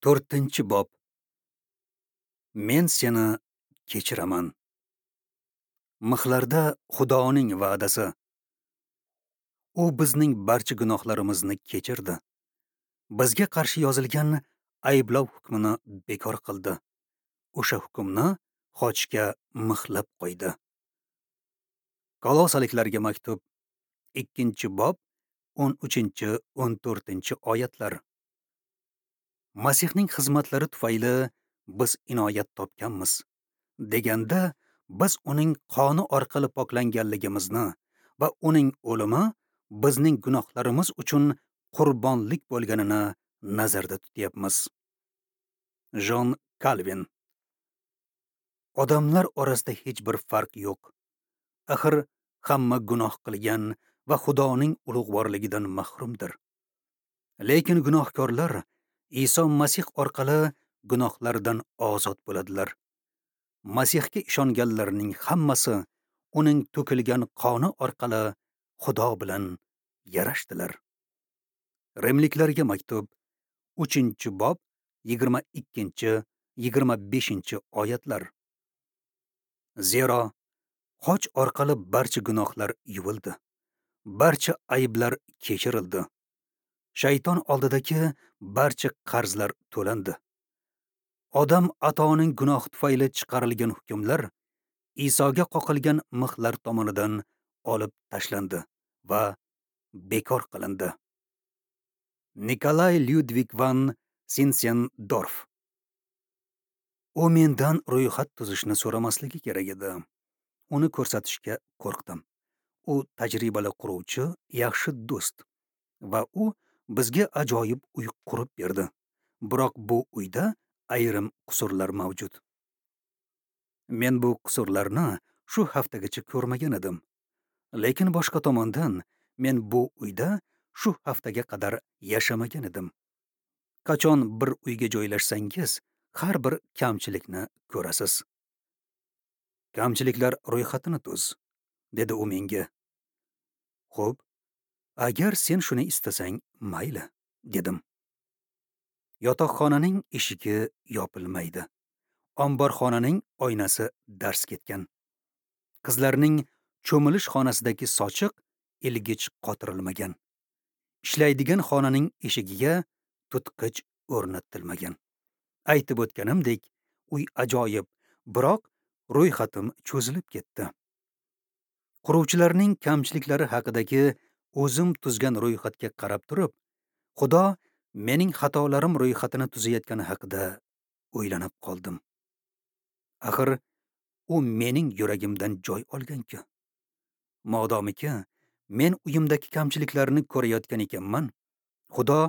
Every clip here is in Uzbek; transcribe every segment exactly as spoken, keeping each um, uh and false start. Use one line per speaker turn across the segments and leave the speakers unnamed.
To'rtinchi bob. Men seni kechiraman. Mixlarda Xudoning va'dasi. U bizning barcha gunohlarimizni kechirdi. Bizga qarshi yozilgan ayblov hukmini bekor qildi. O'sha hukmni xochga mixlab qo'ydi. Kolosaliklarga maktub, ikkinchi bob, o'n uchinchi o'n to'rtinchi oyatlar. Masihning xizmatlari tufayli biz inoyat topganmiz deganda biz uning qoni orqali poklanganligimizni va uning o'limi bizning gunohlarimiz uchun qurbonlik bo'lganini nazarda tutyapmiz. Jon Kalvin. Odamlar orasida hech bir farq yo'q. Axir hamma gunoh qilgan va Xudoning ulug'vorligidan mahrumdir. Lekin gunohkorlar Iso Masih orqali gunohlardan ozod bo'ladilar. Masihga ishonganlarning hammasi uning to'kilgan qoni orqali Xudo bilan yarashdilar. Rimliklarga maktub, uchinchi bob, yigirma ikkinchi yigirma beshinchi oyatlar. Zero xoch orqali barcha gunohlar yuvildi, barcha ayblar kechirildi. Shayton oldidagi barcha qarzlar to'landi. Odam atoning gunoh tufayli chiqarilgan hukmlar Isoga qoqilgan mixlar tomonidan olib tashlandi va bekor qilindi. Nikolay Lyudvig van Sinsendorf. U mendan ro'yxat tuzishni so'ramasligi kerak edi. Uni ko'rsatishga qo'rqdim. U tajribali quruvchi, yaxshi do'st va u bizga ajoyib uy qurib berdi. Biroq bu uyda ayrim qusurlar mavjud. Men bu qusurlarni shu haftagacha ko'rmagan edim. Lekin boshqa tomondan men bu uyda shu haftaga qadar yashamagan edim. Qachon bir uyga joylashsangiz, har bir kamchilikni ko'rasiz. Kamchiliklar ro'yxatini tuz, dedi u menga. Xo'p, agar sen shuni istasang, mayli, dedim. Yotoqxonaning eshigi yopilmaydi. Omborxonaning oynasi dars ketgan. Qizlarning cho'milish xonasidagi sochiq ilgich qotirilmagan. Ishlaydigan xonaning eshigiga tutqich o'rnatilmagan. Aytib o'tganimdek, uy ajoyib, biroq ro'yxatim cho'zilib ketdi. Quruvchilarning kamchiliklari haqidagi o'zim tuzgan ro'yxatga qarab turib, Xudo mening xatolarim ro'yxatini tuzayotgani haqida o'ylanib qoldim. Axir u mening yuragimdan joy olgan-ku. Modomiki men uyimdagi kamchiliklarni ko'rayotgan ekanman, Xudo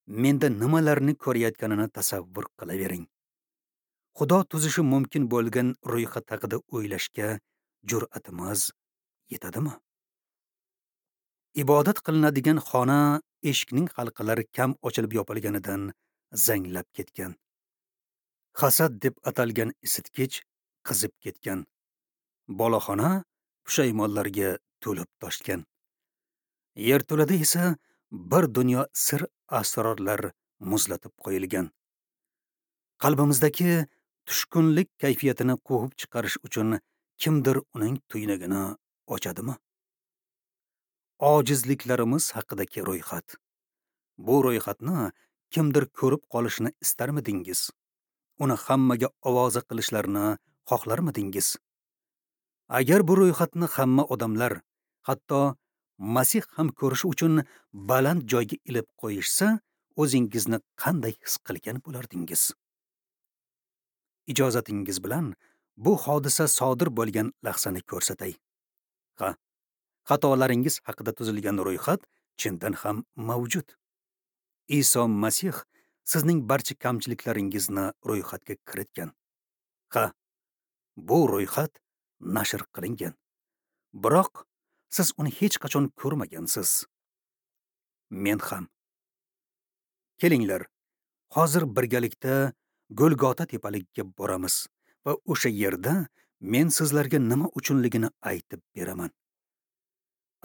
menda nimalarni ko'rayotganini tasavvur qilavering. Xudo tuzishi mumkin bo'lgan ro'yxat haqida o'ylashga jur'atimiz yetadimi? Ibodat qilinadigan xona eshikning halqalari kam ochilib yopilganidan zanglab ketgan. Hasad deb atalgan isitgich qizib ketgan. Boloxona pushaymonlarga to'lib toshgan. Yerto'lada esa bir dunyo sir asrorlar muzlatib qo'yilgan. Qalbimizdagi tushkunlik kayfiyatini quvib chiqarish uchun kimdir uning tuynugini ochadimi? Ojizliklarimiz haqidagi ro'yxat. Bu ro'yxatni kimdir ko'rib qolishini istarmidingiz? Uni hammaga ovoza qilishlarini xohlarmidingiz? Agar bu ro'yxatni hamma odamlar, hatto Masih ham ko'rishi uchun baland joyga ilib qo'yishsa, o'zingizni qanday his qilgan bo'lardingiz? Ijozatingiz bilan bu hodisa sodir bo'lgan lahzani ko'rsatay. Ha, xatolaringiz haqida tuzilgan ro'yxat chindan ham mavjud. Iso Masih sizning barcha kamchiliklaringizni ro'yxatga kiritgan. Ha, bu ro'yxat nashr qilingan. Biroq siz uni hech qachon ko'rmagansiz. Men ham. Kelinglar, hozir birgalikda Golgota tepaligiga boramiz va o'sha yerda men sizlarga nima uchunligini aytib beraman.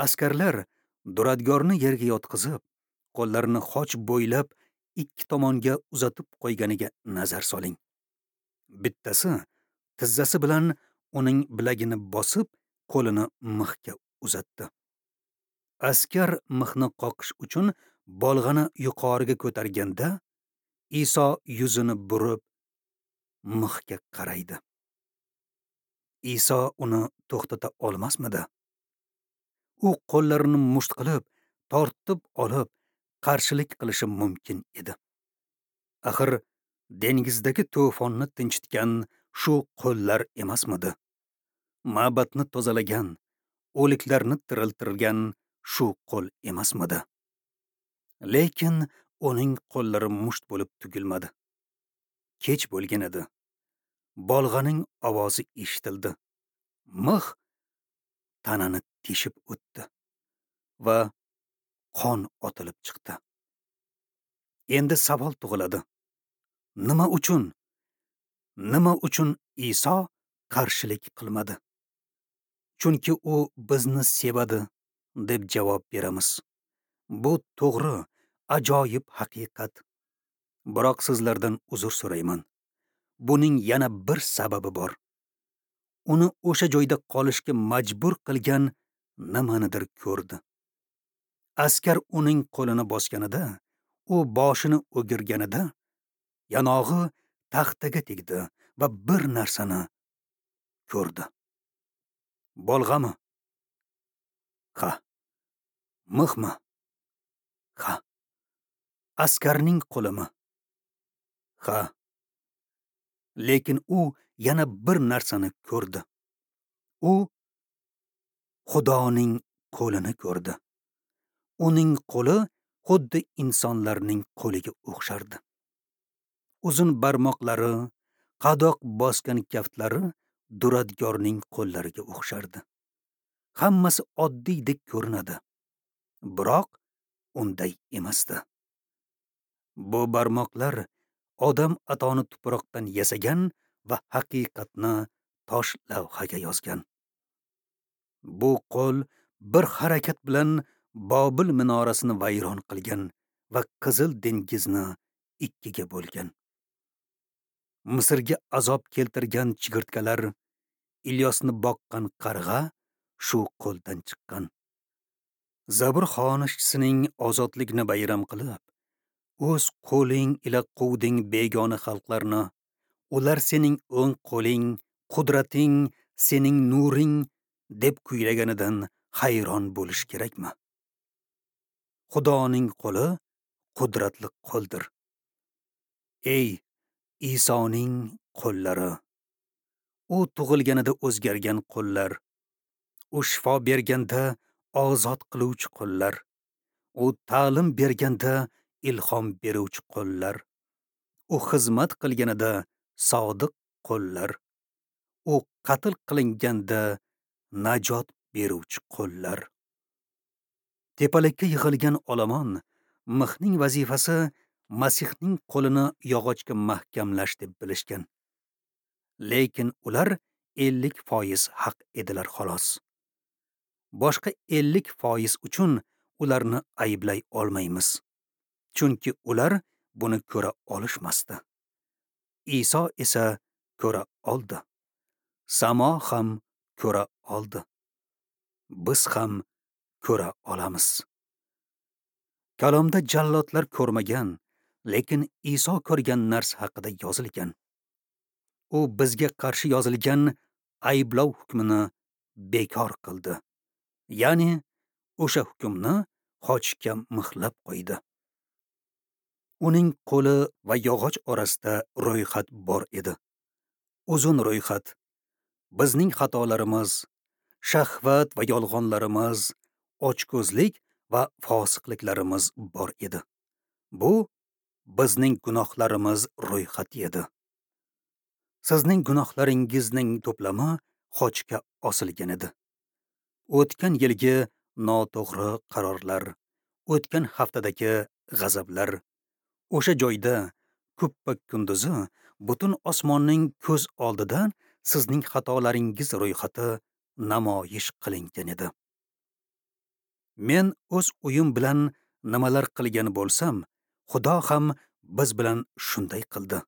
Askarlar duradgorni yerga yotqizib, qo'llarini xoch bo'ylab ikki tomonga uzatib qo'yganiga nazar soling. Bittasi tizzasi bilan uning bilagini bosib, qo'lini mixga uzatdi. Askar mixni qoqish uchun bolg'ani yuqoriga ko'targanda, Iso yuzini burib mixga qaraydi. Iso uni to'xtata olmasmidi? U qo'llarini musht qilib, tortib olib, qarshilik qilishi mumkin edi. Axir dengizdagi to'fonni tinchitgan shu qo'llar emasmidi? Ma'batni tozalagan, o'liklarni tiriltirgan shu qo'l emasmidi? Lekin uning qo'llari musht bo'lib tugilmadi. Kech bo'lgan edi. Bolg'aning ovozi eshitildi. Mix tanani teshib o'tdi va qon otilib chiqdi. Endi savol tug'iladi. Nima uchun? Nima uchun Iso qarshilik qilmadi? Chunki u bizni sevadi, deb javob beramiz. Bu to'g'ri, ajoyib haqiqat. Biroq sizlardan uzr so'rayman. Buning yana bir sababi bor. Uni o'sha joyda qolishga majbur qilgan nimanidir ko'rdi. Askar uning qo'lini bosganida, u boshini o'girganida, yanog'i taxtaga tegdi va bir narsani ko'rdi. Bolg'ami? Ha. Mixmi? Ha. Askarning qo'limi? Ha. Lekin u yana bir narsani ko'rdi. U Xudoning qo'lini ko'rdi. Uning qo'li xuddi insonlarning qo'liga o'xshardi. Uzun barmoqlari, qadoq bosgan kaftlari duradgorning qo'llariga o'xshardi. Hammasi oddiydek ko'rinadi, biroq unday emasdi. Bu barmoqlar odam atoni tuproqdan yasagan va haqiqatni tosh lavhaga yozgan. Bu qo'l bir harakat bilan Bobil minorasini vayron qilgan va Qizil dengizni ikkiga bo'lgan. Misrga azob keltirgan chigirtkalar, Ilyosni boqqan qarg'a shu qo'ldan chiqqan. Zabur xonishchisining ozodlikni bayram qilib, o'z qo'ling ila quvding begona xalqlarni, ular sening o'ng qo'ling, qudrating, sening nuring deb kuylaganidan hayron bo'lish kerakmi? Xudoning qo'li qudratli qo'ldir. Ey Isoning qo'llari! U tug'ilganida o'zgargan qo'llar, u shifo berganda ozod qiluvchi qo'llar, u ta'lim berganda ilhom beruvchi qo'llar, u xizmat qilganida sodiq qo'llar, u qatl qilinganda najot beruvchi qo'llar. Tepalikka yig'ilgan olomon mixning vazifasi Masihning qo'lini yog'ochga mahkamlash deb bilishgan. Lekin ular ellik foiz haq edilar xolos. Boshqa ellik foiz uchun ularni ayblay olmaymiz. Chunki ular buni ko'ra olishmasdi. Iso esa ko'ra oldi. Samo ham ko'ra oldi. Biz ham ko'ra olamiz. Kalomda jallodlar ko'rmagan, lekin Iso ko'rgan narsa haqida yozilgan. U bizga qarshi yozilgan ayblov hukmini bekor qildi. Ya'ni o'sha hukmni xochga mixlab qo'ydi. Uning qo'li va yog'och orasida ro'yxat bor edi. Uzun ro'yxat. Bizning xatolarimiz, shahvat va yolg'onlarimiz, ochko'zlik va fosiqliklarimiz bor edi. Bu bizning gunohlarimiz ro'yxati edi. Sizning gunohlaringizning to'plami xochga osilgan edi. O'tgan yilgi noto'g'ri qarorlar, o'tgan haftadagi g'azablar, o'sha joyda kuppa-kunduzi butun osmonning ko'z oldida sizning xatolaringiz ro'yxati namoyish qilingan edi. Men o'z uyim bilan nimalar qilgan bo'lsam, Xudo ham biz bilan shunday qildi.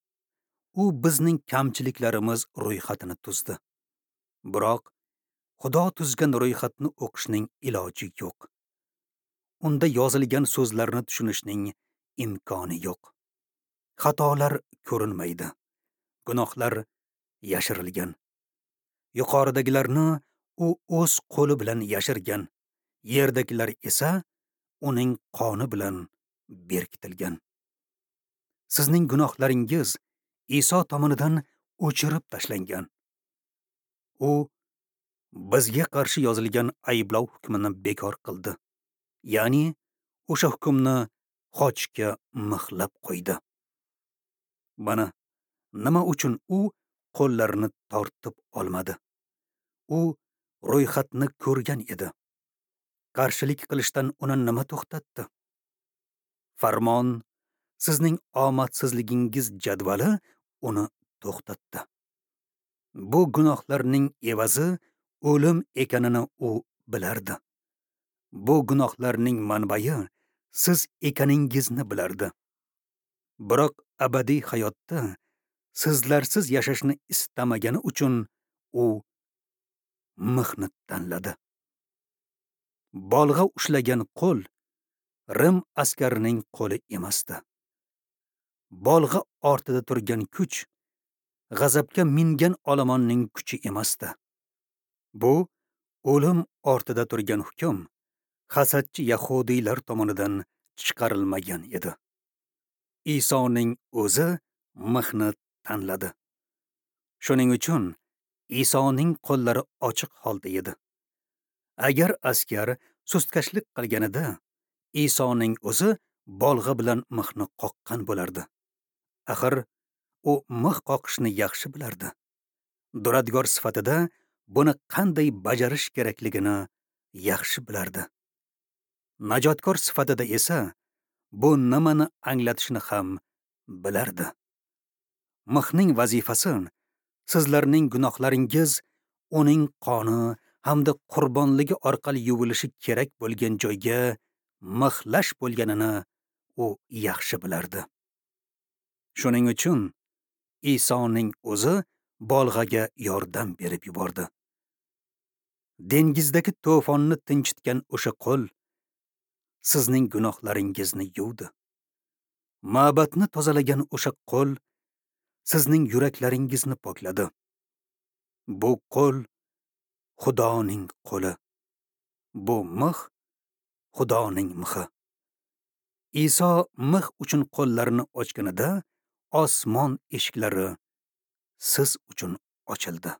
U bizning kamchiliklarimiz ro'yxatini tuzdi. Biroq Xudo tuzgan ro'yxatni o'qishning iloji yo'q. Unda yozilgan so'zlarni tushunishning imkoni yo'q. Xatolar ko'rinmaydi. Gunohlar yashirilgan. Yuqoridagilarni u o'z qo'li bilan yashirgan, yerdagilar esa uning qoni bilan berkitilgan. Sizning gunohlaringiz Iso tomonidan o'chirib tashlangan. U bizga qarshi yozilgan ayblov hukmini bekor qildi. Ya'ni o'sha hukmni xochga mixlab qo'ydi. Mana nima uchun u qo'llarini tortib olmadi. U ro'yxatni ko'rgan edi. Qarshilik qilishdan uni nima to'xtatdi? Farmon, sizning omadsizligingiz jadvali uni to'xtatdi. Bu gunohlarning evazi o'lim ekanini u bilardi. Bu gunohlarning manbai siz ekaningizni bilardi. Biroq abadiy hayotda sizlarsiz yashashni istamagani uchun u mixni tanladi. Bolg'a ushlagan qo'l Rim askarining qo'li emasdi. Bolg'a ortida turgan kuch g'azabga mingan olomonning kuchi emasdi. Bu o'lim ortida turgan hukm hasadchi yahudiylar tomonidan chiqarilmagan edi. Isoning o'zi mixni tanladi. Shuning uchun Isoning qo'llari ochiq holda edi. Agar askar sustkashlik qilganida, Isoning o'zi bolg'a bilan mixni qoqqan bo'lardi. Axir u mix qoqishni yaxshi bilardi. Duradgor sifatida buni qanday bajarish kerakligini yaxshi bilardi. Najotkor sifatida esa bu nimani anglatishini ham bilardi. Mixning vazifasi sizlarning gunohlaringiz uning qoni hamda qurbonligi orqali yuvilishi kerak bo'lgan joyga mixlash bo'lganini u yaxshi bilardi. Shuning uchun Isoning o'zi bolg'aga yordam berib yubordi. Dengizdagi to'fonni tinchitgan o'sha qo'l sizning gunohlaringizni yuvdi. Ma'batni tozalagan o'sha qo'l sizning yuraklaringizni pokladi. Bu qo'l Xudoning qo'li. Bu mix Xudoning mixi. Iso mix uchun qo'llarini ochganida osmon eshiklari siz uchun ochildi.